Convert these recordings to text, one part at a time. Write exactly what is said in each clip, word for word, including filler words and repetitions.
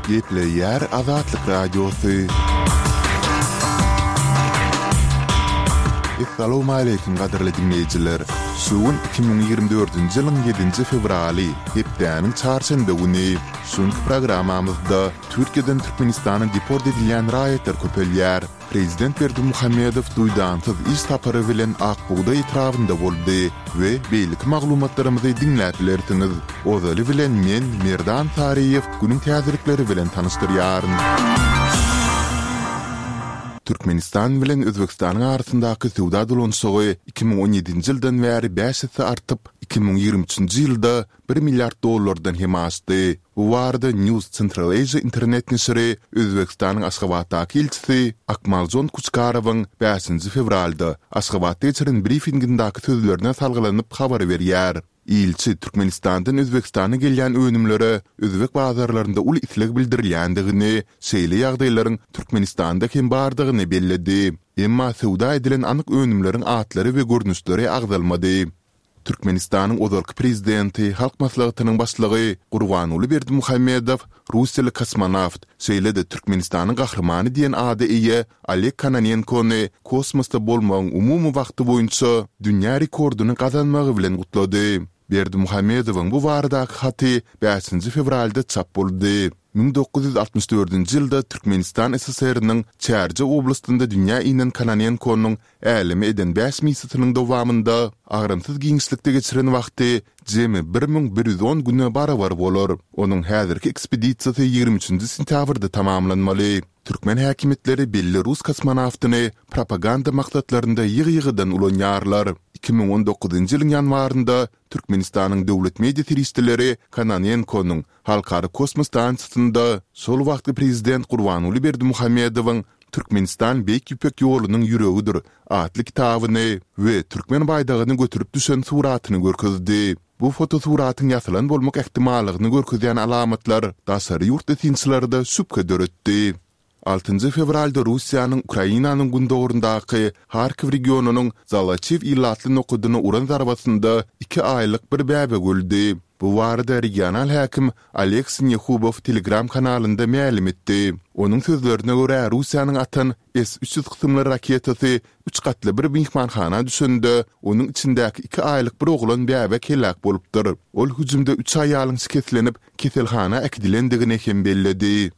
Gepleýär Azatlyk Radiosy. Essalawmaleýkim gadyrly diňleýjiler! Şu gün iki müň ýigrimi dördünji ýylyň ýedinji fewraly, hepdäniň çarşenbe güni. Şu günki programmamyzda Türkiýeden Türkmenistana deport edilýän raýatlar köpelýär. Prezident Berdimuhamedow duýdansyz iş sapary bilen Ak bugdaý etrabynda boldy we beýleki maglumatlarymyzy diňläp bilersiňiz. Ozaly bilen men, Merdan Saryýew, günüň täzelikleri bilen tanyşdyrýaryn. Türkmenistan bilen Özbegistanyň arasyndaky söwda dolanyşygy iki müň on ýedinji ýyldan bäri bäş esse artyp, iki müň ýigrimi üçünji ýylda bir milliard dollardan hem aşdy. Bu barada News Central Asia internet neşiri Özbegistanyň Aşgabatdaky ilçisi Akmaljon Kuçkarowyň bäşinji fewralda Aşgabatda geçiren brifingindäki sözlerine salgylanyp habar berýär. Ilçi Türkmenistandan Özbegistana gelýän önümlere özbek bazarlarynda uly isleg bildirilýändigini, şeýle ýagdaýlaryň Türkmenistanda hem bardygyny belledi. Emma söwda edilen anyk önümleriň atlary we görnüşleri agzalmady. Türkmenistanyň ozalky prezidenti, Halk Maslahatynyň Başlygy Gurbanguly Berdimuhamedow russiýaly kosmonawt, şeýle-de Türkmenistanyň Gahrymany diýen ada eýe Oleg Kononenkony kosmosda bolmagyň umumy wagty boýunça dünýä rekordyny gazanmagy bilen gutlady. Berdimuhamedowyň bu baradaky haty bäşinji fewralda çap boldy. Müň dokuz ýüz altmyş dördünji ýylda Türkmenistan S S R-niň Çärjew oblastynda dünýä inen Kononenkonyň äleme eden bäş missiýasynyň dowamynda agramsyz giňişlikde geçiren wagty jemi bir müň bir ýüz on güne barabar bolar. Onuň häzirki ekspedisiýasy ýigrimi üçünji sentýabrda tamamlanmaly. Türkmen häkimiýetleri belli rus kosmonawtyny propaganda maksatlarynda ýygy-ýygydan ulanýarlar. Iki müň on dokuzynjy ýylyň ýanwarynda Türkmenistanyň döwlet media serişdeleri Kononenkonyň Halkara kosmos stansiýasynda şol wagtky prezident Gurbanguly Berdimuhamedowyň Türkmenistan Beýik Ýüpek ýolunyň ýüregidir atly kitabyny we türkmen baýdagyny göterip düşen suratyny görkezdi. Bu fotosuratyň ýasalan bolmak ähtimallygyny görkezýän alamatlar daşary ýurtly synçylarda şübhe döretdi. Altynjy fewralda Russiýanyň Ukrainanyň gündogaryndaky Harkiw regionynyň Zoloçiw ilatly nokadyna uran zarbasynda iki aýlyk bir bäbek öldi. Bu barada regional häkim Oleg Sinehubow Telegram kanalynda mälim etdi. Onuň sözlerine görä, Russiýanyň atan S üç ýüz kysymly raketasy üç gatly bir myhmanhana düşende, onuň içindäki iki aýlyk bir oglan bäbek heläk bolupdyr. Ol hüjümde üç aýalyň şikeslenip, keselhana äkidilendigini hem belledi.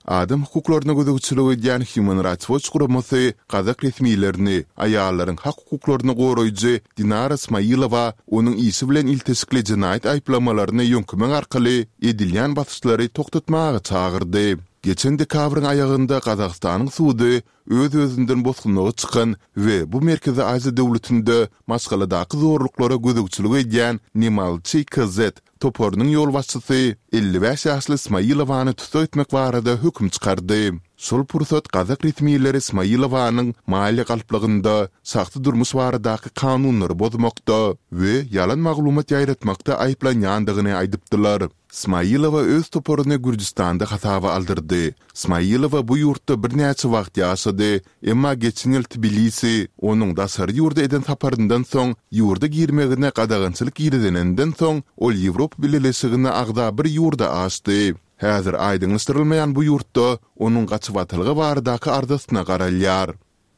Adam hukuklaryna gözegçilik edýän Human Rights Watch guramasy gazak resmilerini aýallaryň hak-hukuklaryny goraýjy Dinara Smailowa onuň işi bilen ilteşikli jenaýat aýyplamalaryny ýöňkemek arkaly edilýän basyşlary togtatmaga çagyrdy. Geçen dekabryň aýagynda Gazagystanyň sudy öz-özünden bosgunlyga çykan we bu Merkezi Aziýa döwletinde maşgaladaky zorluklara gözegçilik edýän Nemalçy K Z toparynyň ýolbaşçysy elli bäş ýaşly Smailowany tussag etmek barada höküm çykardy. Şol pursat gazak resmileri Smailowanyň maliýe galplygynda, şahsy durmuş baradaky kanunlary bozmakda we ýalan maglumat ýaýratmakda aýyplanýandygyny aýdypdylar. Smailowa öz toparyny Gürjüstanda hasaba aldyrdy. Smailowa bu ýurtda birnäçe wagt ýaşady, emma geçen ýyl Tbilisi onuň daşary ýurda eden saparyndan soň ýurda girmegine gadagançylyk girizeninden soň, ol Ýewropa Bileleşigine agza bir ýurda aşdy. Häzir aýdyňlaşdyrylmaýan bu ýurtda onuň gaçybatalga baradaky arzasyna garalýar.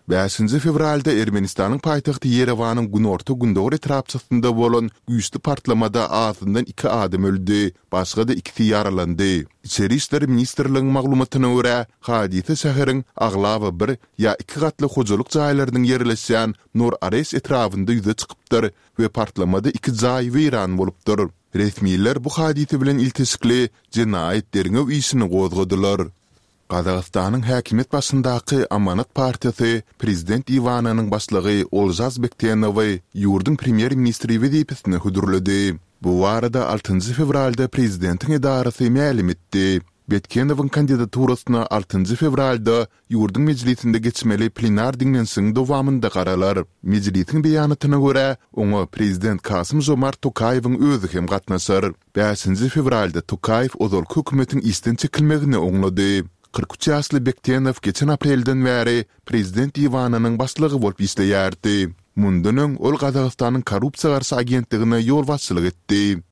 Bäşinji fewralda Ermenistanyň paýtagty Ýerewanyň günorta-gündogar etrapçasynda bolan güýçli partlamada azyndan iki adam öldi, başga-da ikisi ýaralandy. Içeri işler ministrligiň maglumatyna görä, hadysa şäheriň aglaba bir ýa iki gatly hojalyk jaýlarynyň ýerleşýän Nor-Areş etrabynda ýüze çykypdyr we partlamada iki jaý weýran bolupdyr. Resmiler bu hadysa bilen ilteşikli jenaýat derňew işini gozgadylar. Gazagystanyň häkimiýet başyndaky Amanat partiýasy prezident diwanynyň başlygy Olžas Bektenowy ýurduň premýer-ministri wezipesine hödürledi. Bu barada altynjy fewralda prezidentiň edarasy mälim etdi. Betkenowyň kandidaturasyna altynjy fewralda ýurduň mejlisinde geçmeli plenar diňlenişigiň dowamynda garalar. Mejlisiň beýanatyna görä, oňa prezident Kasym-Žomart Tokaýewiň özi hem gatnaşar. Bäşinji fewralda Tokaýew ozalky hökümetiň işden çekilmegini oňlady. Kyrk üç ýaşly Bektenow geçen aprelden bäri prezident diwanynyň başlygy bolup işleýärdi. Mundan öň ol Gazagystanyň korrupsiýa garşy agentligine ýolbaşçylyk etdi.